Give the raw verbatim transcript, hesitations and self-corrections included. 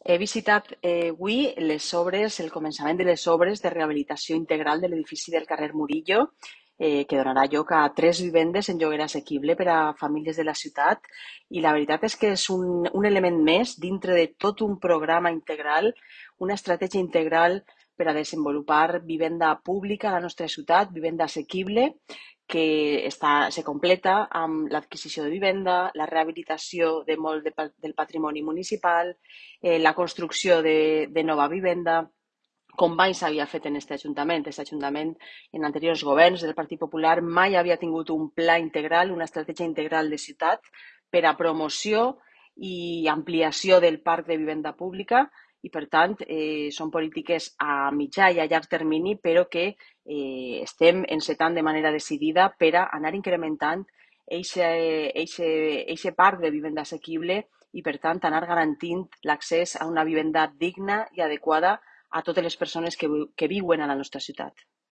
He visitat eh, avui les obres, el començament de les obres de rehabilitació integral de l'edifici del carrer Murillo, eh, que donarà lloc a tres vivendes en lloguer assequible per a famílies de la ciutat. I la veritat és que és un, un element més dintre de tot un programa integral, una estratègia integral per a desenvolupar vivenda pública a la nostra ciutat, vivenda assequible, que està, se completa amb l'adquisició de vivenda, la rehabilitació de molt de, del patrimoni municipal, eh, la construcció de, de nova vivenda, com mai s'havia fet en aquest Ajuntament. Aquest Ajuntament, en anteriors governs del Partit Popular, mai havia tingut un pla integral, una estratègia integral de ciutat per a promoció i ampliació del parc de vivenda pública i, per tant, eh, són polítiques a mitjà i a llarg termini, però que eh, estem encetant de manera decidida per a anar incrementant aquest parc de vivenda assequible i, per tant, anar garantint l'accés a una vivenda digna i adequada a totes les persones que, que viuen a la nostra ciutat.